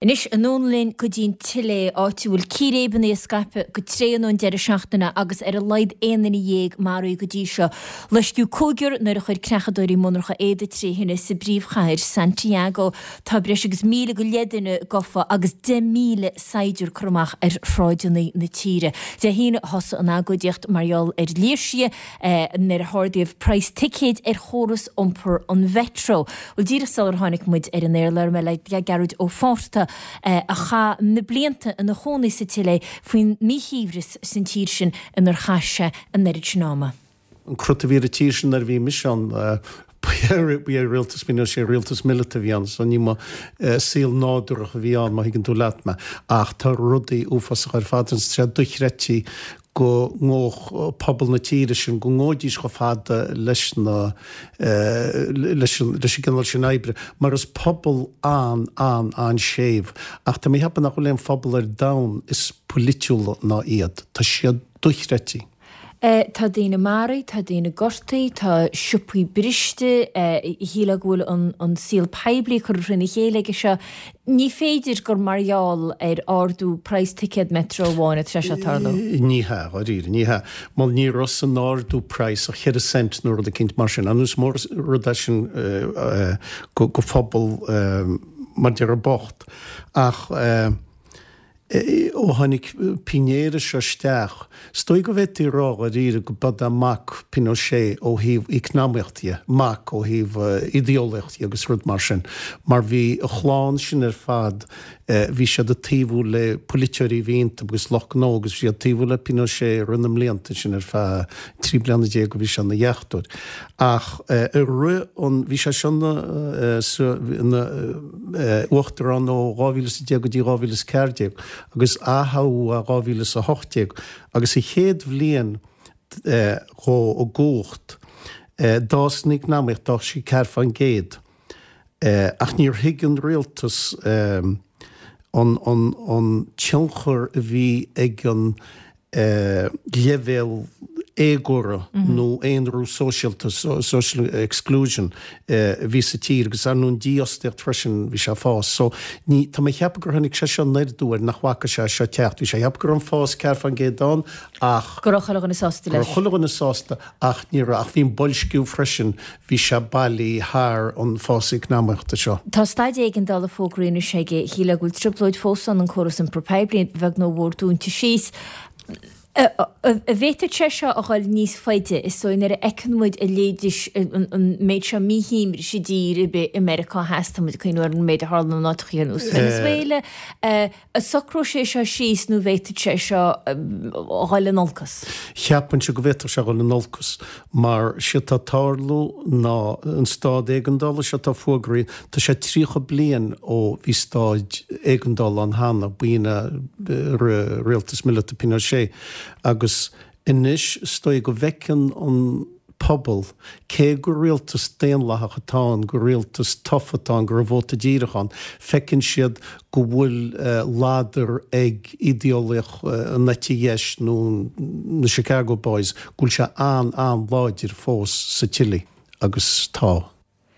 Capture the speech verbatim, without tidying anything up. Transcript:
Anois anonn linn go dtí an tSile, áit a bhfuil círéibeanna ag scaipeadh go tréan ón deireadh seachtaine agus ar a laghad aon duine dhéag maraithe go dtí seo. Loisceadh cúigear nuair a chuir creachadóirí monarcha éadaigh trí thine sa bpríomhchathair Santiago. Tá breis agus míle go leith duine gafa agus deich míle saighdiúir curtha amach ar shráideanna na tíre. Dé hAoine a thosaigh an agóidíocht mar gheall ar léirsithe nuair a hardaíodh praghas ticéid ar chóras iompair an Mheitreo. Bhuel díreach sular tháinig muid ar an aer labhair mé le Gearóid Ó Fátharta a chaith na blianta ina chónaí sa tSile faoin míshuaimhneas san tír sin inar chaith sé an oiread sin ama. An crut a bhí ar an tír sin nuair a bhí mise ann, ba é rialtas Pinochet, rialtas míleata a bhí ann, so ní mba saol nádúrach a bhí ann, má thuigeann tú leat mé. Ach tá rudaí uafásacha ar fad ann, tá sé dochreidte go ngabhadh pobal na tíre sin, go ngabhaidís chomh fada leis na, leis an, leis an gcineál sin oibre, mar is pobal an, an, an-séimh. Ach tá mé a cheapadh nach bhfuil aon phobal ar domhan is polaitiúla ná iad. Tá siad dochreidte. Tá daoine maraithe, tá daoine gortaithe, tá siopaí briste, shílfeá go bhfuil an, an saol poiblí curtha trína chéile aige seo. Ní féidir gur mar gheall ar ardú praghas ticéad Metro amháin atá sé seo ag tarlú. Ní hea, dháiríre, ní hea. Mar ní raibh san ardú praghas ach ceithre cent nó rud eicínt mar sin. Ar ndóigh is mór rud é sin go phobal mar déarfá bocht. Ach ó tháinig Piñera seo isteach, is dóigh go bhféadfaí a rá dháiríre go b'é mac Pinochet ó thaobh eacnamaíocht dhe, mac ó thaobh idéolaíocht dhe agus rud mar sin, mar bhí a chlann sin ar fad, bhí siad ag taobhú le polaiteoirí a bhí iontu agus lucht gnó agus bhí siad ag taobhú le Pinochet i rith na mblianta sin ar feadh trí bliana déag a bhí sé ina dheachtóir. Ach i rith an, bhí sé seo ina uachtarán ó dhá mhíle is a deich go dtí dhá mhíle is ceathair déag agus aththoghadh é dhá mhíle is a hocht déag agus sa chéad bhliain dhó i gcumhacht d'fhás an eacnamaíocht, d'fhás sí ceathair fán gcéad. Ach níor thuig an rialtas an an tionchar a bhí ag an leibhéal éagóra nó aonrú sóisialta, social exclusion, a bhí sa tír agus ar ndóigh an dífhostaíocht freisin, bhí sé ag fás. So ní, tá mé ag ceapadh gur tháinig sé seo aniar aduaidh air, nach bhfaca sé seo ag teacht. Bhí sé ag ceapadh go raibh an fás ceathair fán gcéad ann ach. Go raibh chuile dhuine sásta leis. Go raibh chuile dhuine sásta ach ní raibh, ach bhí an boilsciú freisin, bhí sé bailí thar an fás eacnamaíochta seo. Tá staid éigeandála fógraithe anois aige, shílfeá go bhfuil trioblóid fós ann, an córas iompair poiblí, a bheag nó a mhór dúnta síos. An bhféadfadh sé seo a dhul níos faide, is dóigh, nuair a fheiceann muid a leithéid, an méid seo míshuaimhnis i dtír ar bith i Meiriceá Theas, tá muid ag cuimhniú ar an méid a tharla in áiteacha ar nós Venezuela, an socróidh sé seo síos nó an bhféadfadh sé seo a dhul in olcas? Cheapfainnse go bhféadfadh sé a dhul in olcas mar séard atá ag tarlú ná an staid éigeandála seo atá fógraithe, tá sé tríocha bliain ó bhí staid éigeandála ann cheana, b'in i rith rialtas míleata Pinochet agus anois is dóigh go bhfeiceann an pobal, cé gur rialtas daonlathach atá ann, gur rialtas tofa atá ann, go raibh vóta díreach ann, feiceann siad go bhfuil ladar ag ídeolaíocht an eite dheis nó na Chicago Boys, go bhfuil sé an-an-láidir fós sa tSile agus tá.